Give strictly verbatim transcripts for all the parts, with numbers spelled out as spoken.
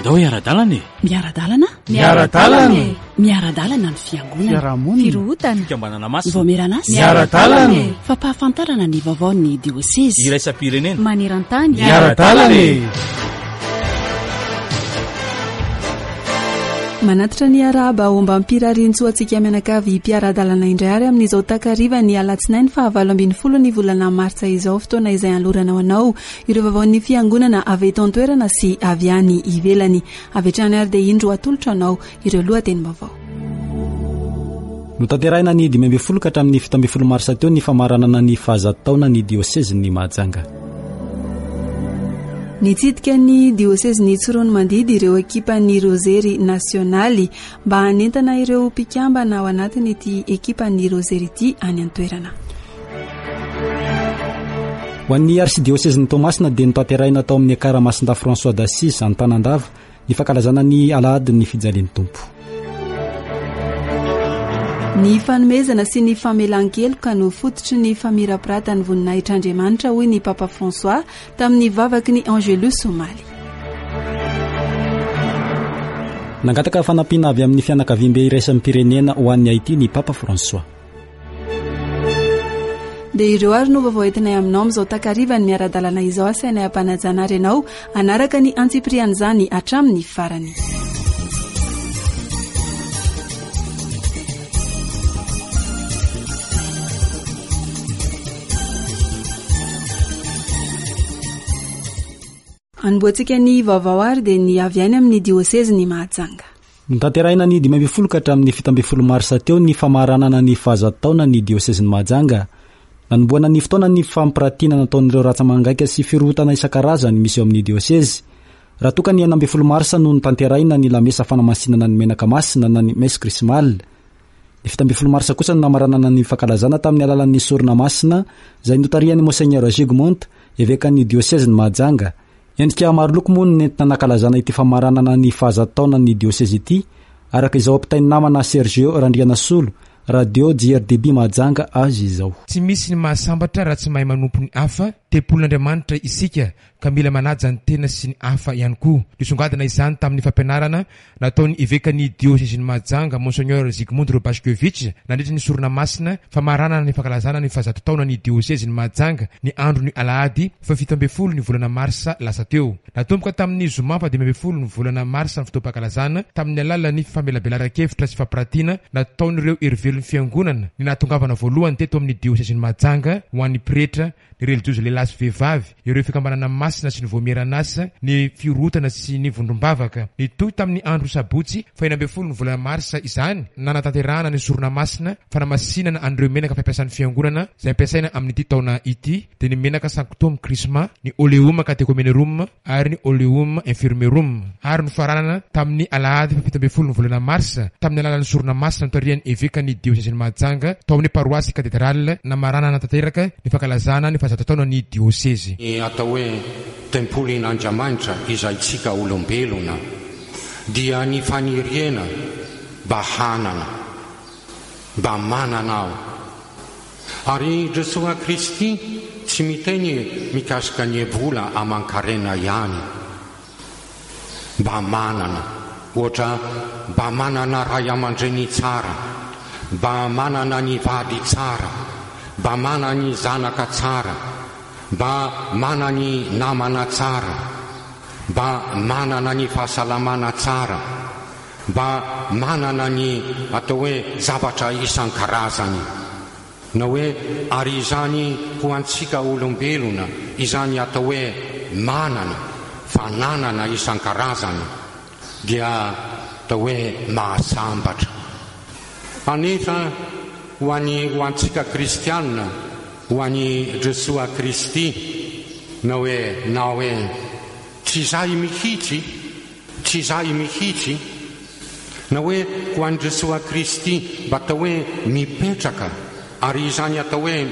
Andao hiara-dalana e! Miara-dalana? Miara-dalana e! Miara-dalana ny fiangonana. Fiarahamonina. Firohotana. Fikambanana masina. Vaomieran'asa. Miara-dalana e! Fampahafantarana ny vaovaon'ny diosezy. Iraisam-pirenena. Maneran-tany. Miara-dalana e! Manatitra ny arahaba ombam-pirariantsoa antsika mianakavy mpiara-dalana indray ary amin'izao takariva ny alatsinainy fahavalo ambin'ny folo ny volana martsa izao, fotoana izay anolorana ho anao ireo vaovaon'ny fiangonana avy eto an-toerana sy avy any ivelany. Avy hatrany ary dia indro atolotra anao ireo lohatenim-baovao. Notanterahina ny dimy ambin'ny folo ka hatramin'ny fito ambin'ny folo marsa teo ny famaranana ny fahazato taona ny diosezin'ny Mahajanga. Nitsidika ny diosezin'ny Tsiroanomandidy ireo ekipan'ny Rozery Nasionaly mba hanentana ireo mpikambana ao anatin'ity ekipan'ny Rozery ity any an-toerana. Ho an'ny arsidiosezin'ny Toamasina dia notanterahina tao amin'ny Ekara Masindahy François d'Assise Antanandava ny fankalazana ny alahadin'ny fijalian'ny Tompo. Ny fanomezana sy ny famelan-keloka no fototry ny famirapiratan'ny voninahitr'Andriamanitra, hoy ny Papa François tamin'ny vavaky ny Angelus omaly. Nangataka fanampiana avy amin'ny fianakaviambe iraisam-pirenena ho an'ny Haiti ny Papa François. Dia ireo ary no vaovao entinay aminao amin'izao takariva ny miara-dalana izao, asainay ampanajana ary ianao hanaraka ny antsipirian'izany hatramin'ny farany. Anombohantsika ny vaovao ary dia ny avy any amin'ny diosezin'ny Mahajanga. Notanterahina ny dimy ambin'ny folo ka hatramin'ny fito ambin'ny folo marsa teo ny famaranana ny fahazato taona ny diosezin'ny Mahajanga. Nanombohana ny fotoana ny fampiratiana nataon'ireo ratsa-mangaika sy firohotana isan-karazany misy eo amin'ny diosezy. Raha toa ka ny enina ambin'ny folo marsa no notanterahina ny lamesa fanamasinana ny menaka masina na ny messe chrismale. Ny fito ambin'ny folo marsa kosa no namaranana ny fankalazana tamin'ny alalan'ny sorona masina izay notarihan'ny Monseigneur Zygmunt, evekan'ny diosezin'ny Mahajanga. Endrika maro loko moa no nentina nankalazana ity famaranana ny fahazato taona ny diosezy ity, araka izao ampitain'ny namana Sergio Randrianasolo, Radio J R D B Mahajanga azy izao. Tsy misy ny mahasambatra raha tsy mahay manompo ny hafa. Tempolin'Andriamanitra isika ka mila manaja ny tena sy ny hafa ihany koa. Nisongadina izany tamin'ny fampianarana nataon'ny evekan'ny diosezin'ny Mahajanga, Monseigneur Zygmunt Robaszkiewicz, nandritra ny sorona masina famaranana ny fankalazana ny fahazato taona ny diosezin'ny Mahajanga ny andron'ny alahady fahafito ambin'ny folo ny volana marsa lasa teo. Natomboka tamin'ny zoma fahadimy ambin'ny folo ny volana marsa ny fotoam-pankalazana tamin'ny alalan'ny famelabelaran-kevitra sy fampiratiana nataon'ireo herivelon'ny fiangonana ny nahatongavana voalohany teto amin'ny diosezin'ny Mahajanga ho an'ny pretra, ny relijiozy lehilahy sy vehivavy, ireo fikambanana masina sy ny voamieran'asa, ny firohotana sy ny vondrom-bavaka. Nitohy tamin'ny andro sabotsy fahenina ambin'ny folo ny volana marsa izany, nanatanterahana ny sorona masina fanamasinana an'ireo menaka fampiasan'ny fiangonana izay ampiasaina amin'ity taona ity, dia ny menaka Sanctum Chrisma, ny Oleum Catechumenerum ary ny Oleum Infirmerum. Ary nofaranana tamin'ny alahady fahafito ambin'ny folo ny volana marsa tamin'ny alalan'ny sorona masina notarihan'ny evekan'ny diosezin'i Mahajanga tao amin'ny paroasy katedrale, namaranana tanteraka ny fankalazana ny fahazato taona ny diosezy. Ny atao hoe tempolin'Andriamanitra izay tsika olombelona dia ny faniriana mba hanana, mba manana aho. Ary Jesoa Kristy tsy miteny mikasika ny vola aman-karena ihany, mba manana, ohatra mba manana ray aman-dreny tsara, mba manana ny vady tsara, mba manana ny zanaka tsara, mba manana ny namana tsara, mba manana ny fahasalamana tsara, mba manana ny atao hoe zavatra isan-karazany. Na hoe ary izany ho antsika olombelona, izany atao hoe manana, fananana isan-karazany, dia atao hoe mahasambatra. Anefa ho an'ny, ho antsika kristianina, ho an'i Jesoa Kristy, na hoe, na hoe tsy izahay mihitsy, tsy izahay mihitsy, na hoe ho an'i Jesoa Kristy mba atao hoe mipetraka, ary izany atao hoe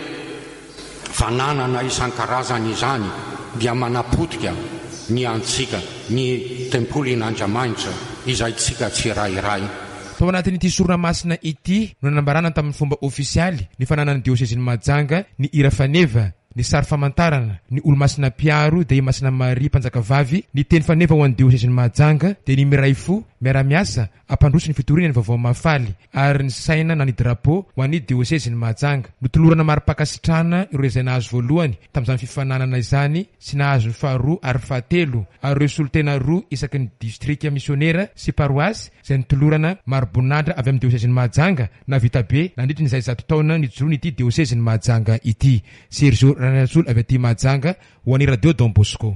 fananana isan-karazany izany dia manapotika ny antsika, ny tempolin'Andriamanitra izay tsika tsirairay. Tao anatin'ity sorona masina ity no nanambarana tamin'ny fomba ofisialy ny fananan'ny diosezin'i Mahajanga ny hira faneva ny sary famantarana, ny olomasina mpiaro dia i Masina Maria mpanjakavavy, ny teny faneva ho an'ny diosezin'i Mahajanga dia ny miray fo, miara-miasa, ampandroso ny fitoriana ny vaovao mahafaly, ary ny saina na ny drapeau ho an'ny diosezin'i Mahajanga. Notolorana mari-pankasitrahana ireo izay nahazo voalohany tamin'izany fifaninanana izany sy nahazo ny faharoa ary fahatelo, ary ireo solontena roa isaky ny distrika misionera sy paroasy izay notolorana mari-boninahitra avy amin'ny diosezin'i Mahajanga nahavita be nandritra izay zato taona nijoroany ity diosezin'i Mahajanga ity. Sergio Ranatsolo avy aty Mahajanga ho an'ny Radio Don Bosco.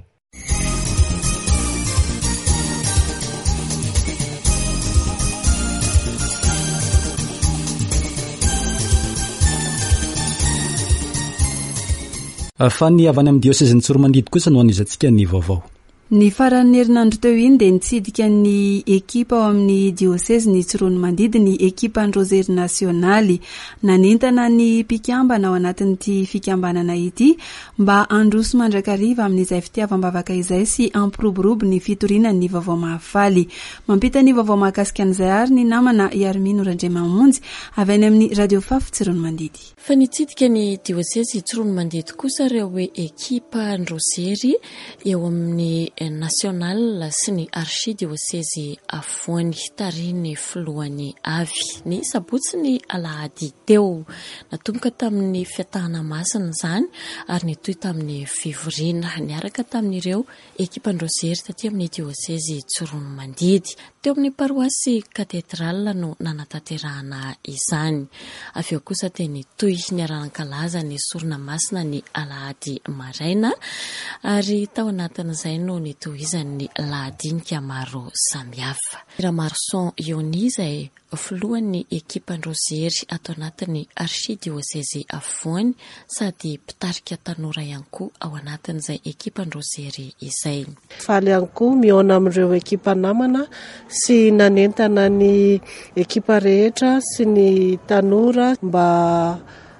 Fa ny avy any amin'ny diosezin'i Tsiroanomandidy kosa no anizantsika ny vaovao. Ny faran'ny herinandro teo iny dia nitsidika ny ekipa ao amin'ny diosezin'i Tsiroanomandidy ny ekipan'ny Rozery Nasionaly. Nanentana ny mpikambana ao anatin'ity fikambanana ity mba handroso mandrakariva amin'izay fitiavam-bavaka izay sy hampiroborobo ny fitoriana ny vaovao mahafaly. Mampita ny vaovao mahakasika an'izay ary ny namana Iarmino Randriamamonjy avy any amin'ny Radio Fafy Tsiroanomandidy. Fa nitsidika ny diosezy Tsiroanomandidy kosa ireo ekipa Rozery eo amin'ny national sy ny archidiosezy afovoany tarihin'ny filohany avy ny sabotsy ny alahady teo. Natomboka tamin'ny fiatahana masina izany ary nitohy tamin'ny fivoriana niaraka tamin'ireo ekipan-drozery taty amin'ny diosezy Tsiroanomandidy. Teo amin'ny paroasy katedrala no nanatanterahana izany. Avy eo kosa dia nitohy niara-nankalaza ny sorona masina ny alahady maraina ary tao anatin'izay no nitohizan'ny lahadinika maro samihafa. Ramarson Ioni izay filohan'ny ekipan-drozery ato anatin'ny archidiosezy afovoany sady mpitarika tanora ihany koa ao anatin'izay ekipan-drozery izay. Faly ihany koa mihaona amin'ireo ekipa namana sy nanentana ny ekipa rehetra sy ny tanora mba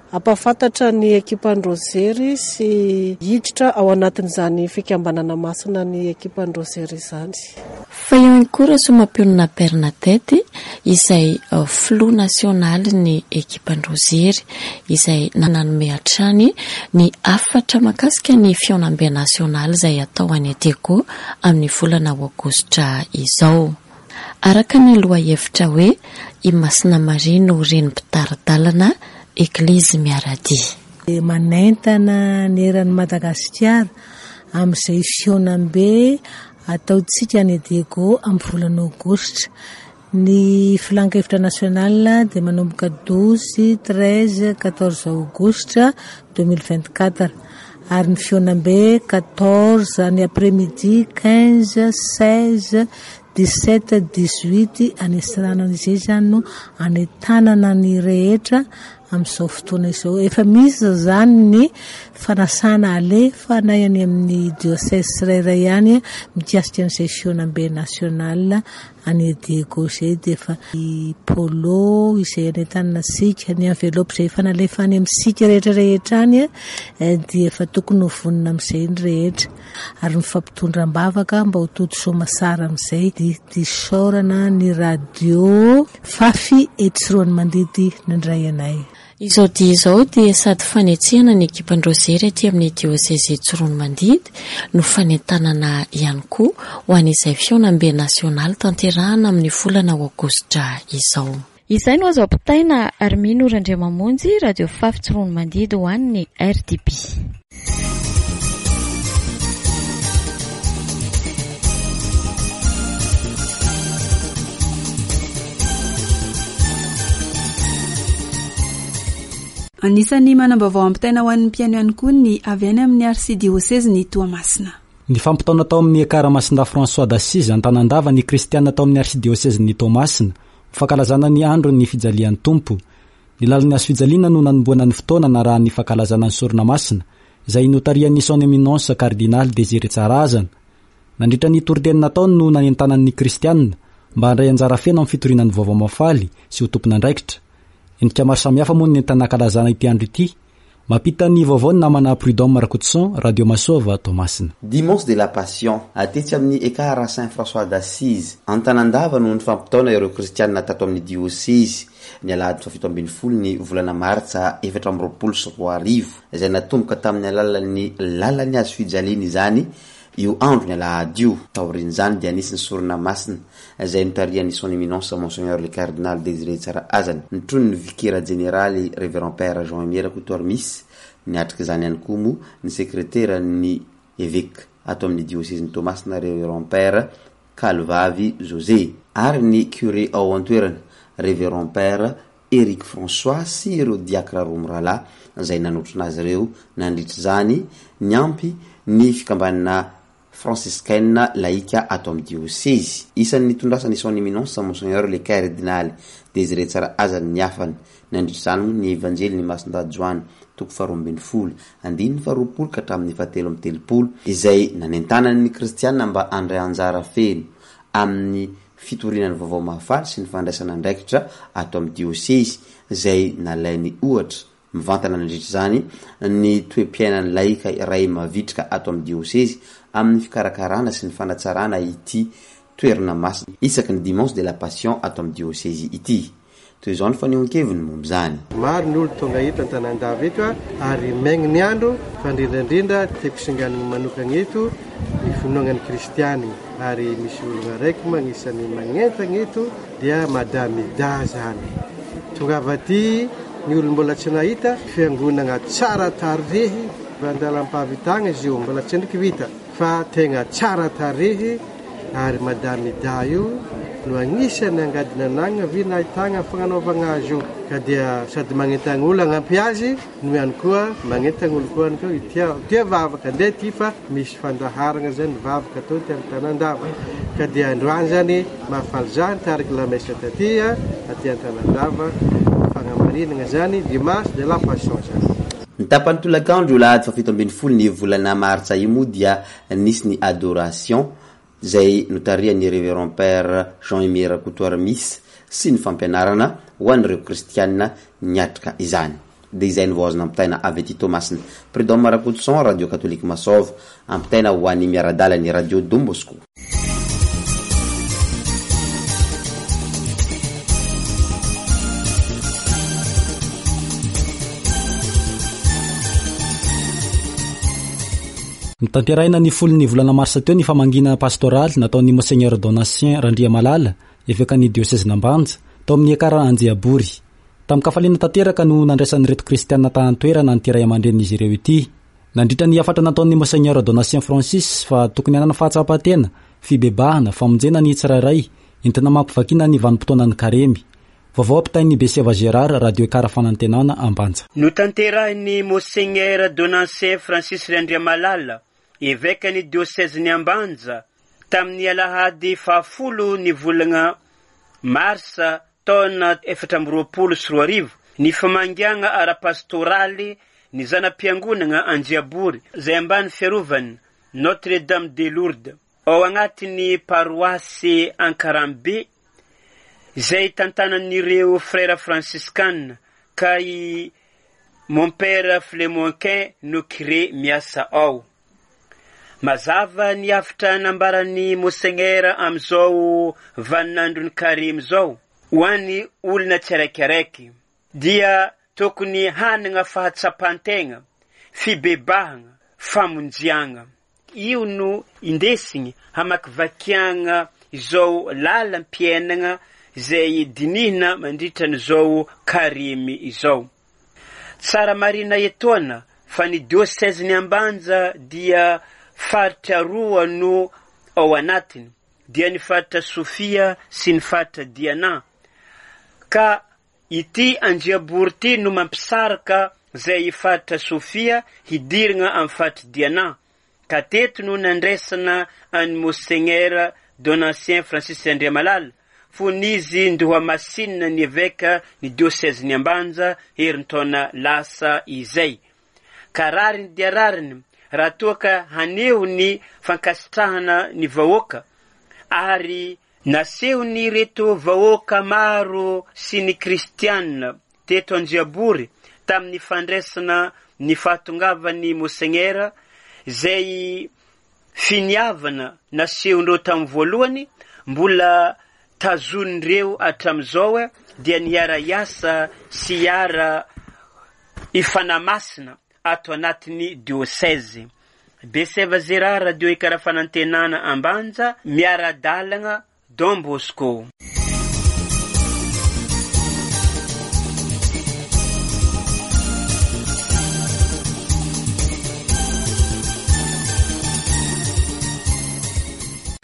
hampahafantatra ny ekipan-drozery sy hiditra ao anatin'izany fikambanana masina ny ekipan-drozery izany. Fa eo ihany koa Rasoamampionona Bernadette izay filoha nasionaly ny ekipan-drozery izay nanome hatrany ny hafatra mahakasika ny fihaonambe nasionaly izay atao any Diego amin'ny volana aogositra izao. Araka ny lohahevitra hoe i Masina Maria no reny mpitari-dalana Eglizy miara-dia. Manentana ny eran'i Madagasikara amin'izay fihaonambe ataontsika any Diego amin'ny volana aogositra. Ny filan-kevitra national dia manomboka douze, treize, quatorze aogositra deux mille vingt-quatre ary ny fihaonambe quatorze ny après-midi, quinze, seize, dix-sept, dix-huit any Antsiranana. Izay izany no anentanana ny rehetra amin'izao fotoana izao. Efa misy izany ny fanasana alefa na any amin'ny diocèse tsirairay ihany mikasika an'izay fihaonambe national any Diego izay dia efa i polo izay anentanana antsika, ny enveloppe izay efa nalefa any amintsika rehetra rehetra any dia efa tokony ho vonona amin'izay ny rehetra ary mifampitondra am-bavaka mba ho tody soamasara amin'izay. Dia disaorana ny radio Fafy eto Tsiroanomandidy nandray anay. Izao dia izao dia sady fanetsehana ny ekipan-drozery aty amin'ny diosezy Tsiroanomandidy no fanentanana ihany koa ho an'izay fihaonambe nasionaly tanterahana amin'ny volana aogositra izao. Izay no azo ampitaina Armino Randriamamonjy, Radio Fafy Tsiroanomandidy ho an'ny R D B. Anisan'ny manam-baovao ampitaina ho an'ny mpihaino ihany koa ny avy any amin'ny arsidiosezin'i Toamasina. Ny fampitaona tao amin'ny Ekara Masindahy François d'Assise Antanandava ny kristiana tao amin'ny arsidiosezin'i Toamasina ho fankalazana ny andron'ny fijalian'ny Tompo. Ny lalan'ny hazo fijaliana no nanombohana ny fotoana narahan'ny fankalazana ny sorona masina izay notarihan'ny son éminence cardinal Désiré Tsarahazana. Nandritra ny toriteny nataony no nanentanan'ny kristiana mba handray anjara feno amin'ny fitoriana ny vaovao mahafaly sy ho tompon'andraikitra. Endrika maro samihafa moa no nentina nankalazana ity andro ity Mampita ny vaovao ny namana Prud'homme Rakotoson, Radio Masoava, Toamasina. Dimanche de la Passion, tetsy amin'ny Ekar Saint François d'Assise Antanandava no ny fampitaona ireo kristianina tato amin'ny diosezy ny alahady fahafito ambin'ny folo ny volana martsa efatra amby roapolo sy roa arivo, izay natomboka tamin'ny alalan'ny lalan'ny hazo fijaliana izany io andro ny alahady io. Taorian'izany dia nisy ny sorona masina izay notarihan'ny son éminence Monseigneur le cardinal Désiré Tsarahazana, notronin'ny vikera jeneraly Révérend Père Jean Aimé Rakotoarimisy. Niatrika izany ihany koa moa ny sekretera ny évêque ato amin'ny diosezin'i Toamasina Révérend Père Kalvavy José, ary ny curé ao an-toerana Révérend Père Eric François sy ireo diakra roa mirahalahy izay nanotrona azy ireo nandritra izany, niampy ny fikambanana franciscaine laïka ato amin'ny diosezy. Isan'ny nitondrasany son éminence Monseigneur le cardinal Désiré Tsarahazana ny hafany nandritra izany moa ny evanjely ny Masindahy Joany toko faharoa ambin'ny folo andininy faharoapolo ka hatramin'ny fahatelo amby telopolo, izay nanentanany ny kristianina mba handray anjara feno amin'ny fitoriana ny vaovao mahafaly sy ny fandraisana andraikitra ato amin'ny diosezy, izay nalainy ohatra mivantana nandritra izany ny toe-piainan'ny laika iray mavitrika ato amin'ny diosezy amin'ny fikarakarana sy ny fanatsarana ity toerana masina isaky ny Dimanche de la Passion ato amin'ny diosezy ity. Toy izao ny fanehoan-keviny momba izany. Maro ny olo tonga eto Antanandava eto ary maigny ny andro, fa indrindra indrindra tiako singanina manokana eto ny finoanan'ny kristiany, ary misy olona araiky moa anisan'ny magnentana eto dia Madame Ida zany. Tongava aty ny olona mbola tsy nahita fiangonana tsara tarehy, andalam-pahavitana izy io, mbola tsy endriky vita fa tegna tsara tarehy, ary Madame Ida io no anisan'ny angadina anagna vi nahitana fagnanaovana azy io, ka dia sady magnentana olo hanampy azy no ihany koa magnentana olo koa ihany koa tia tia vavaka andeha ty fa misy fandaharana zany vavaka atao ty amin'ny Tanandava, ka dia androany zany mahafaly zany tariky lamesa taty aty Antanandava fagnamarinana zany Dimanche de la Passion zany. Ny tapany tolakandro io alahady fahafito ambin'ny folo ny volana martsa io moa dia nisy ny adoration izay notarihan'ny Révérend Père Jean Aimé Rakotoarimisy sy ny fampianarana ho an'ireo kristianina niatrika izany. Dia izay no vao azo nampitaina avy aty Toamasina. Prud'homme Rakotoson, Radio Catholique Masoava, ampitaina ho an'ny miara-dalana ny Radio Don Bosco. Notanterahina ny folon'ny volana marsa teo ny famangiana pastoraly nataon'ny Monseigneur Donatien Randriamalala, evekan'ny diosezin'Ambanja, tao amin'ny Ekara Anjiabory. Tamin-kafaliana tanteraka no nandraisan'ireto kristianina tany an-toerana an'ity ray aman-drenin'izy ireo ity. Nandritra ny hafatra nataon'ny Monseigneur Donatien Francis fa tokony hanana fahatsapan-tena, fibebahana, famonjena ny tsirairay, entina mampivakiana ny vanim-potoanan'ny karemy. Vaovao ampitain'ny Beseva Gérard, Radio Ekara Fanantenana, Ambanja. Notanterahin'ny Monseigneur Donatien Francis Randriamalala, evekan'ny diosezin'i Ambanja, tamin'ny alahady fahafolo ny volana marsa taona efatra amby roapolo sy roa arivo ny famangiana ara-pastoraly ny zana-piangonana Anjiabory izay ambany fiarovana Notre Dame de Lourdes ao agnatin'ny paroasy Ankarambe izay tantanan'ireo frera franciscane ka i mon père Flemonquin no curé miasa ao. Mazava ny hafatra nambaran'ny Monseigneur amin'izao vaninandron'ny karemy izao ho an'ny olona tsiraikiraiky dia tokony hanana fahatsapan-tegna, fibebahana, famonjiagna. Io no indesigny hamakivakiagna izao lalam-piainana izay dinihina mandritra an'izao karemy izao. Tsara marina etoana fa ny diosezin'i Ambanja dia faritra roa no ao anatiny, dia ny faritra Sofia sy ny faritra Diana, ka ity Anjiabory ity no mampisaraka izay faritra Sofia hidirana amin'ny faritra Diana, ka teto no nandraisana an'i Monseigneur Donatien Francis Andriamalala fony izy ndohamasinina ny eveka ny diosezin'i Ambanja herintaona lasa izay. Ka rariny dia rariny raha toa ka haneho ny fankasitrahana ny vahoaka, ary nasehon'ireto vahoaka maro sy ny kristianina teto Anjiabory Tamin'ny fandraisana ny fahatongavan'ny Monseigneur izay finiavana nasehondreo tamin'ny voalohany mbola tazonindreo hatramin'izao dia niara-hiasa sy hiara ifanamasina ato anatin'ny diocèse. Beseva Zera, Radio Ekara Fanantenana Ambanja, miara-dalagna Don Bosco.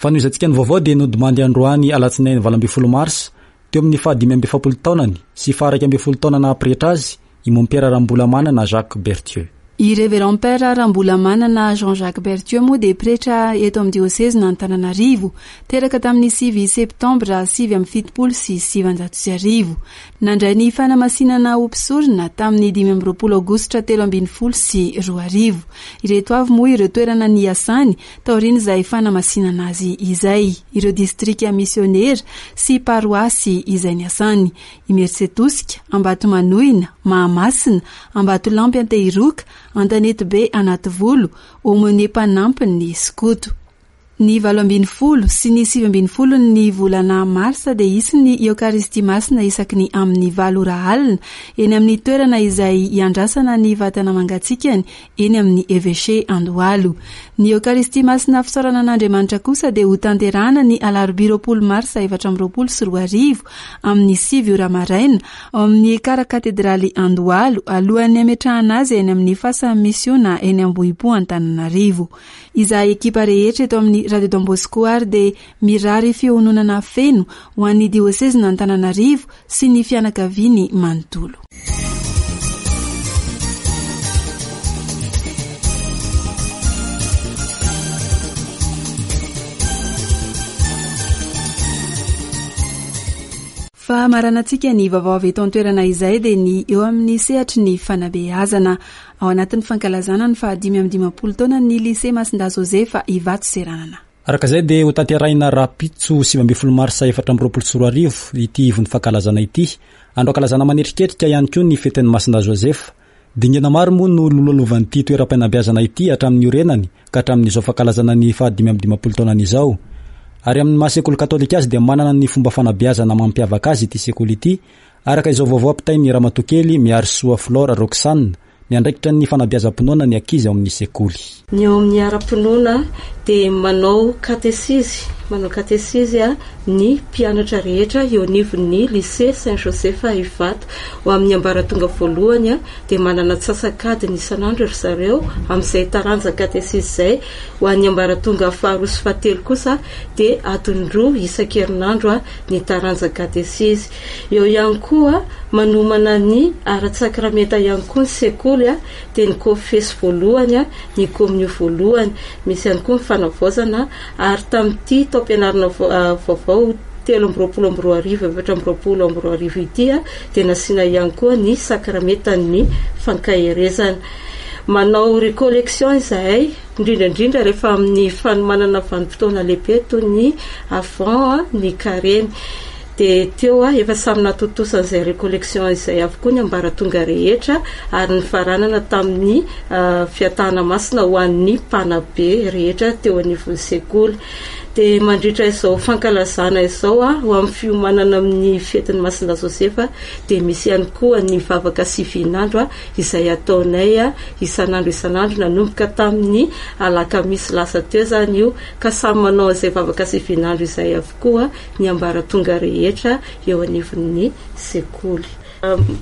Fanohizantsika ny vaovao dia nodimandy androany alatsinainy valo ambin'ny folo marsa teo amin'ny fahadimy amby efapolo taonany sy faha-iraika ambin'ny folo taona naha-pretra azy i Mompera Rambolamanana Jacques Berthieu. I Révérend Père Rambolamanana Jean-Jacques Berthieu moa dia pretra eto amin'ny diôsezy Antananarivo, teraka tamin'ny sivy septambra sivy amby fitopolo sy sivanjato sy arivo. Nandray ny fanamasinana ho mpisorona tamin'ny dimy amby roapolo aogositra telo ambin'ny folo sy roa arivo. Ireto avy moa ireo toerana niasany taorian'izay fanamasinana azy izay, ireo distrika misionera sy paroasy izay niasany: Imerintsiatosika, Ambatomanoina, Mahamasina, Ambatolampy Antehiroka, Antanetibe Anativolo, Aumônier mpanampiny skoto. Ny valo ambin'ny folo sy ny sivy ambin'ny folo ny volana marsa dia hisy ny Eokaristia Masina isaky ny amin'ny valo ora alina eny amin'ny toerana izay iandrasana ny vatana mangatsikany eny amin'ny Evêché Andohalo. Ny Eokaristia Masina fisaorana an'Andriamanitra kosa dia ho tanterahana ny alarobia roapolo marsa efatra amby roapolo sy roa arivo amin'ny sivy ora maraina ao amin'ny Ekara Katedraly Andohalo, alohan'ny hametrahana azy eny amin'ny fasan'ny misiona eny Ambohipo Antananarivo. Izahay ekipa rehetra eto amin'ny Radio Don Bosco ary dia mirary fiononana feno ho an'ny diôsezy Antananarivo sy ny fianakaviany manontolo. Fa maranantsika ny vaovao avy eto an-toerana izay dia ny eo amin'ny sehatry ny fanabeazana ao anatin'ny fankalazana ny fahadimy amby dimampolo taona ny lycée Masindahy Josefa Ivato Seranana. Araka izay dia ho tanterahina rahampitso sivy ambin'ny folo marsa efatra amby roapolo sy roa arivo ity ivon'ny fankalazana ity. Andro ankalazana manetriketrika ihany koa ny fetin'ny Masindahy Josefa. Dingana maro moa no lololovan'ity toeram-panabeazana ity hatramin'ny orenany ka hatramin'izao fankalazana ny fahadimy amby dimampolo taonany izao. Ary amin'ny maha sekoly katolika azy dia manana ny fomba fanabeazana mampiavaka azy ity sekoly ity, araka izao vaovao ampitain'ny Ramatokely Miarisoa Flore Roxane, miandraikitra ny fanabeazam-pinoana ny ankizy ao amin'ny sekoly. Ny eo amin'ny ara-pinoana dia manao katesizy, manao katesizy a ny mpianatra rehetra eo anivon'ny lycée Saint Joseph Ivato. Ho amin'ny ambaratonga voalohany a dia manana antsasak'adiny isan'andro ry zareo amin'izay taranja katesizy izay. Ho an'ny ambaratonga faharoa sy fahatelo kosa dia adiny roa isan-kerinandro a ny taranja katesizy. Eo ihany koa manomana ny ara-tsakramenta ihany koa ny sekoly a dia ny kofesy voalohany a, ny kominio voalohany, misy ihany koa ny fanavaozana. Ary tamin'ity taom-pianarana vaovao telo amby roapolo amby roa arivo efatra amby roapolo amby roa arivo ity a dia nasiana ihany koa ny sakramentan'ny fankaherezana. Manao recollection izahay indrindra indrindra rehefa amin'ny fanomanana vanim-potoana lehibe toy ny avant ny karemy. Dia teo a efa samy natontosa an'izay recollection izay avokoa ny ambaratonga rehetra ary nifaranana tamin'ny fiatahana masina ho an'ny mpanabe rehetra teo anivon'ny sekoly. Dia mandritra izao fankalazana izao a ho amin'ny fiomanana amin'ny fetin'ny Masindahy Josefa dia misy ihany koa ny vavaka sivinandro a izay ataonay a isan'andro isan'andro nanomboka tamin'ny alakamisy lasa teo izany io, ka samy manao izay vavaka sivinandro izay avokoa ny ambaratonga rehetra eo anivon'ny sekoly.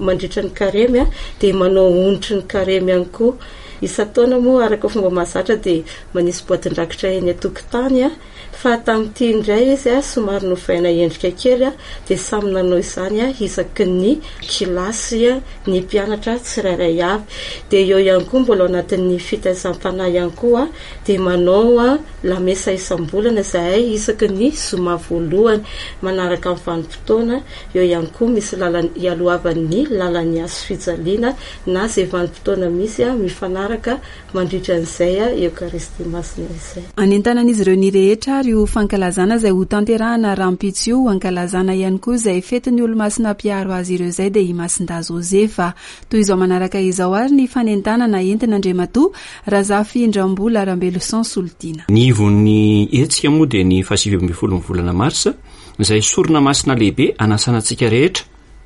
Mandritra ny karemy a dia manao onitry ny karemy ihany koa. Isan-taona moa araka fomba mahazatra dia manisy boatin-drakitra eny an-tokotany a, fa tamin'ity indray izy a somary novaina endrika kely a dia samy nanao izany a isaky ny kilasy a ny mpianatra tsirairay avy. Dia eo ihany koa mbola ao anatin'ny fitaizam-panahy ihany koa dia manao a lamesa isam-bolana izahay isaky ny zoma voalohany manaraka ny vanim-potoana. Eo ihany koa misy lalana ialohavan'ny lalan'ny hazo fijaliana na izay vanim-potoana misy a mifanaraka miaraka mandritra an'izay Eokaristia Masina izay. Anentanan'izy ireo ny rehetra ary ho fankalazana izay ho tanterahana rahampitso io, ankalazana ihany koa izay fetin'ny olomasina mpiaro azy ireo izay dia i Masindahy Josefa. Toy izao manaraka izao ary ny fanentanana entin'Andriamatoa Razafindrambola Rambeloson Solitiana. Ny ivon'ny hetsika moa dia ny fahasivy ambin'ny folo ny volana marsa, izay sorona masina lehibe anasana antsika rehetra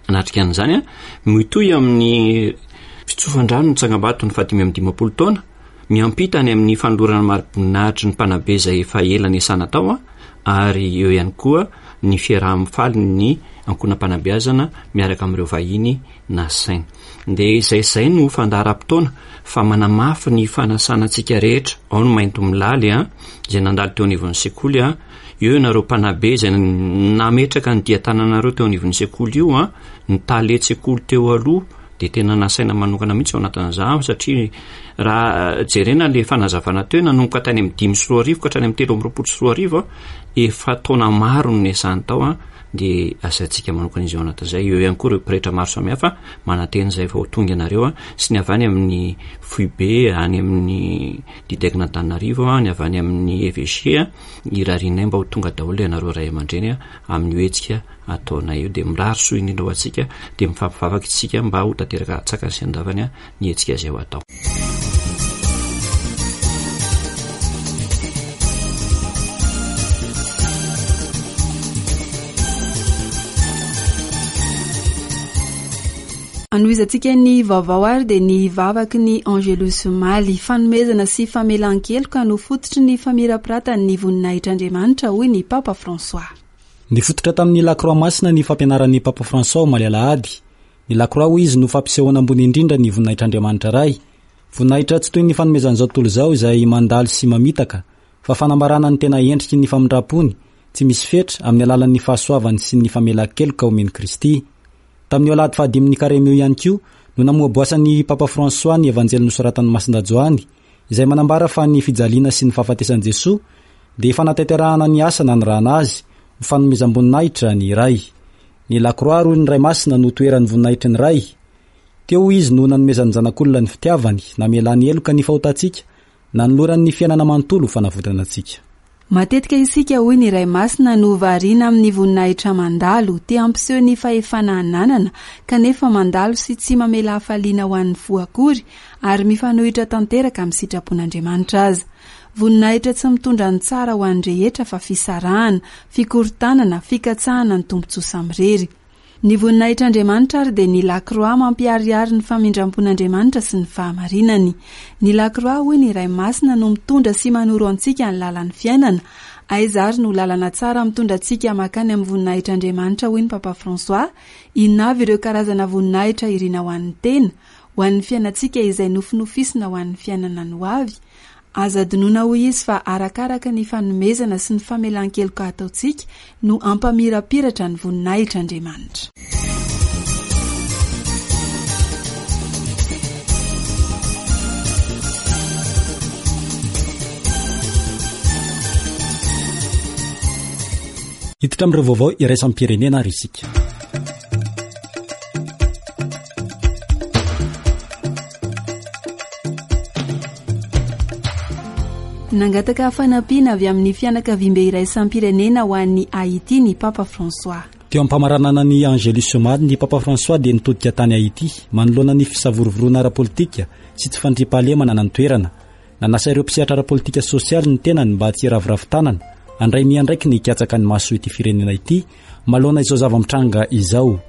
anatrika an'izany, mitohy amin'ny fitsofan-drano ny tsangambato ny fahadimy amby dimampolo taona, miampita any amin'ny fanolorana mari-boninahitry ny mpanabe izay efa ela niasana tao, ary eo ihany koa ny fiaraha-mifaly ny ankohonam-panabeazana miaraka amin'ireo vahiny nasaina. Dia izay izay no fandaharam-potoana fa manamafy ny fanasana antsika rehetra. Ao ny maintomilaly a, izay nandalo teo anivon'ny sekoly a, eo ianareo mpanabe izay nametraka ny dian-tananareo teo anivon'ny sekoly io a, ny talen-tsekoly teo aloha dia tena nasaina manokana mihitsy ao anatin'izany, satria raha jerena le fanazavana teo, nanomboka tany amin'ny dimy sy roa arivo ka hatrany amin'ny telo amby roapolo sy roa arivo, efa taona maro no niasany tao a, dia asaintsika manokana izy ao anatin'izay. Eo ihany koa ireo pretra maro samihafa manantena izay vao tonga ianareo a, sy ny avy any amin'ny foibe any amin'ny Didecna Antananarivo a, ny avy any amin'ny E V G a, irarianay mba ho tonga daholo ianareo ray aman-dreny a amin'io hetsika ataonay io. Dia mirary soa indrindra ho antsika, dia mifampivavaka isika mba ho tanteraka antsakany sy andavany a ny hetsika izay ho atao. Anohizantsika ny vaovao ary dia ny vavaky ny Angelus omaly. Fanomezana sy famelan-keloka no fototry ny famirapiratan'ny voninahitr'Andriamanitra, hoy ny Papa François. Nifototra tamin'ny Lakroa Masina ny fampianaran'ny Papa François omaly alahady. Ny Lakroa, hoy izy, no fampisehoana ambony indrindra ny voninahitr'Andriamanitra Ray. Voninahitra tsy toy ny fanomezan'izao tontolo izao izay mandalo sy mamitaka, fa fanambarana ny tena endriky ny famindrampony tsy misy fetra amin'ny alalan'ny fahasoavany sy ny famelan-keloka omen'i Kristy. Tamin'io alahady fahadimin'ny karemy io ihany koa no namoaboasan'ny Papa François ny Evanjely nosoratan'ny Masindahy Joany, izay manambara fa ny fijaliana sy ny fahafatesan'i Jesoa dia fanatanterahana ny asa nanirahana azy ho fanomezam-boninahitra ny Ray. Ny Lakroa, hoy ny Ray Masina, no toeran'ny voninahitry ny Ray. Teo izy no nanomezan'ny zanak'olona ny fitiavany, namelany heloka ny fahotantsika, nanolorany ny fiainana manontolo ho fanavotana antsika. Matetika isika, hoy ny Ray Masina, no variana amin'ny voninahitra mandalo, te hampiseho ny fahefana ananana, kanefa mandalo sy tsy mamela hafaliana ho an'ny fo akory, ary mifanohitra tanteraka amin'ny sitrapon'Andriamanitra aza. Voninahitra tsy mitondra ny tsara ho an'ny rehetra fa fisarahana, fikorontanana, fikatsahana ny tombontsoa samirery. Ny voninahitr'Andriamanitra ary dia ny Lakroa mampiharihary ny famindram-pon'Andriamanitra sy ny fahamarinany. Ny Lakroa, hoy ny Ray Masina, no mitondra sy manoro antsika ny lalan'ny fiainana. Aiza ary no lalana tsara mitondra antsika makany amin'ny voninahitr'Andriamanitra, hoy ny Papa François? Inona avy ireo karazana voninahitra irina ho an'ny tena, ho an'ny fiainantsika izay nofinofisina ho an'ny fiainana no avy? Aza adinoina, hoy izy, fa arakaraka ny fanomezana sy ny famelan-keloka ataontsika no ampamirapiratra ny voninahitr'Andriamanitra. Hiditra amin'ireo vaovao iraisam-pirenena ary isika. Nangataka fanampiana avy amin'ny fianakaviambe iraisam-pirenena ho an'ny Haiti ny Papa François. Teo am-pamaranana ny Angelus omaly, ny Papa François dia nitodika tany Haiti manoloana ny fisavorovoroana ara-politika sy tsy fandriampahalemana ny toerana. Nanasa ireo mpisehatra ara-politika sosialy ny tenany mba tsy hiraviravy tanana, handray ny andraikiny hikatsaka ny mahasoa ity firenena ity manoloana izao zava-mitranga izao.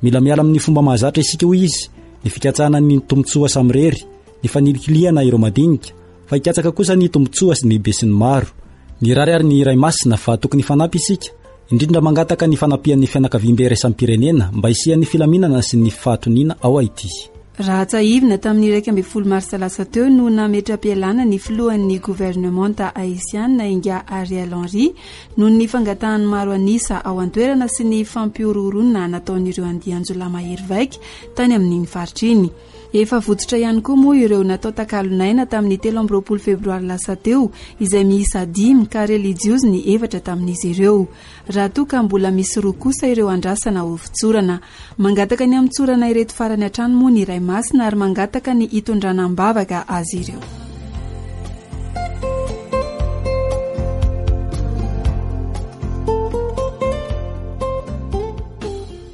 Mila miala amin'ny fomba mahazatra isika, hoy izy, ny fikatsahana ny tombontsoa samirery, ny fanilikilihana ireo madinika, fa hikatsaka kosa ny tombontsoa sy ny be sy ny maro. Nirary ary ny Ray Masina fa tokony hifanampy isika, indrindra mangataka ny fanampian'ny fianakaviambe iraisam-pirenena mba hisian'ny filaminana sy ny fahatoniana ao Haiti. Raha tsiahivina, tamin'ny iraika ambin'ny folo marsa lasa teo no nametra-pialana ny filohan'ny governemanta haisiana ingahy Ariel Henry noho ny fangatahan'ny maro anisa ao an-toerana sy ny fampihorohoroana nataon'ireo andian-jiolahy mahery vaika tany amin'iny faritra iny. Efa votsotra ihany koa moa ireo natao takalon'aina tamin'ny telo amby roapolo febroary lasa teo, izay miisa dimy ka relijiozy ny efatra tamin'izy ireo. Raha toa ka mbola misy roa kosa ireo andrasana ho fotsorana. Mangataka ny hamotsorana ireto farany hatrany moa ny Ray Masina ary mangataka ny hitondrana am-bavaka azy ireo.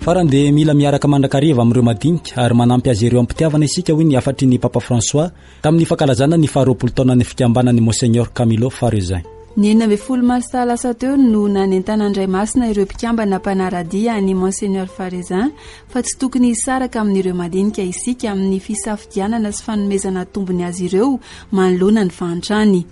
Farany dia mila miaraka mandrakariva amin'ireo madinika ary manampy azy ireo am-pitiavana isika, hoy ny hafatry ny Papa François tamin'ny fankalazana ny faharoapolo taonan'ny fikambanan'ny Monseigneur Camillo Farezin. Ny enina ambin'ny folo marsa lasa teo no nanentana ny Ray Masina ireo mpikambana mpanara-dia an'i Monseigneur Farezin fa tsy tokony hisaraka amin'ireo madinika isika amin'ny fisafidianana sy fanomezana tombony azy ireo manoloana ny fahantrany.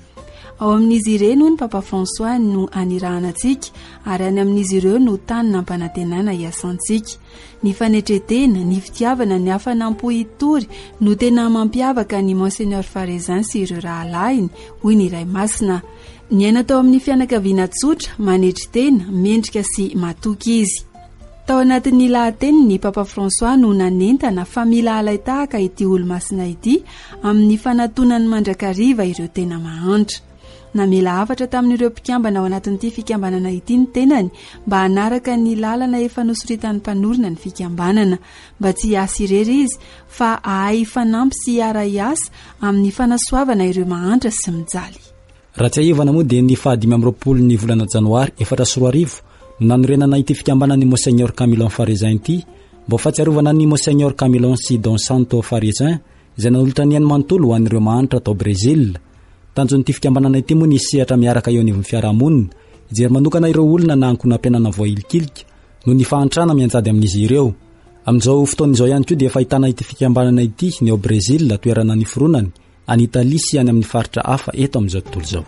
Ao amin'izy ireny, hoy ny Papa François, no anirahana antsika ary any amin'izy ireo no tany nampanantenana hiasantsika. Ny fanetretena, ny fitiavana, ny hafanam-po hitory no tena mampiavaka ny Monseigneur Farezin sy ireo rahalahiny, hoy ny Ray Masina. Niaina tao amin'ny fianakaviana tsotra, manetry tena, mendrika sy matoky izy. Tao anatin'ny lahateniny ny Papa François no nanentana fa mila alain-tahaka ity olo-masina ity amin'ny fanatonany mandrakariva ireo tena mahantra. Namela hafatra tamin'ireo mpikambana ao anatin'ity fikambanana ity ny tenany mba hanaraka ny lalana efa nosoritan'ny mpanorina ny fikambanana, mba tsy hiasa irery izy fa hahay hifanampy sy hiara-hiasa amin'ny fanasoavana ireo mahantra sy mijaly. Raha tsiahivana moa dia ny fahadimy amby roapolo ny volana janoary efatra sy roa arivo no nanorenana ity fikambanan'ny Monseigneur Camilon Farezin ity mba ho fahatsiarovana ny Monseigneur Camilon sy Don Santo Farezin izay nanolotra ny ainy manontolo ho an'ireo mahantra tao Brésil. Tanjon'ity fikambanana ity moa ny sehatra miaraka eo anivon'ny fiarahamonina, hijery manokana ireo olona na ankohonam-piainana voahilikilika noho ny fahantrana mianjady amin'izy ireo. Amin'izao fotoana izao ihany koa dia efa ahitana ity fikambanana ity ny ao Brésil, toerana niforonany, any Italia sy any amin'ny faritra hafa eto amin'izao tontolo izao.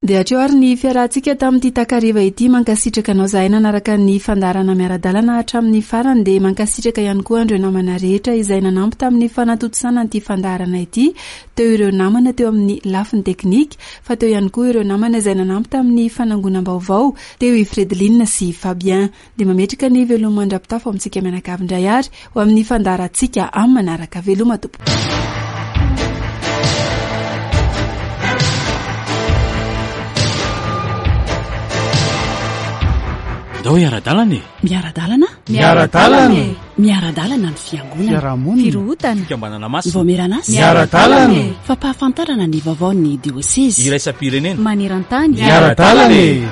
Dia hatreo ary ny fiarahantsika tamin'ity takariva ity. Mankasitraka anao zahay nanaraka ny fandaharana miara-dalana hatramin'ny farany. Dia mankasitraka ihany koa andreo namana rehetra izay nanampy tamin'ny fanatontosana an'ity fandaharana ity. Teo ireo namana teo amin'ny lafiny teknika, fa teo ihany koa ireo namana izay nanampy tamin'ny fanangonam-baovao, teo i Fredeline sy Fabien. Dia mametraka ny veloma mandra-pitafo amintsika mianakavy indray ary ho amin'ny fandaharantsika amin'ny manaraka. Veloma tompoko. Ndao hiara-dalana e. Miara-dalana? Miara-dalana e. Miara-dalana ny fiangonana. Fiarahamonina. Firohotana. Fikambanana masina. Vaomieran'asa. Miara-dalana e. Fampahafantarana ny vaovaon'ny diosezy. Iraisam-pirenena. Maneran-tany. Miara-dalana e.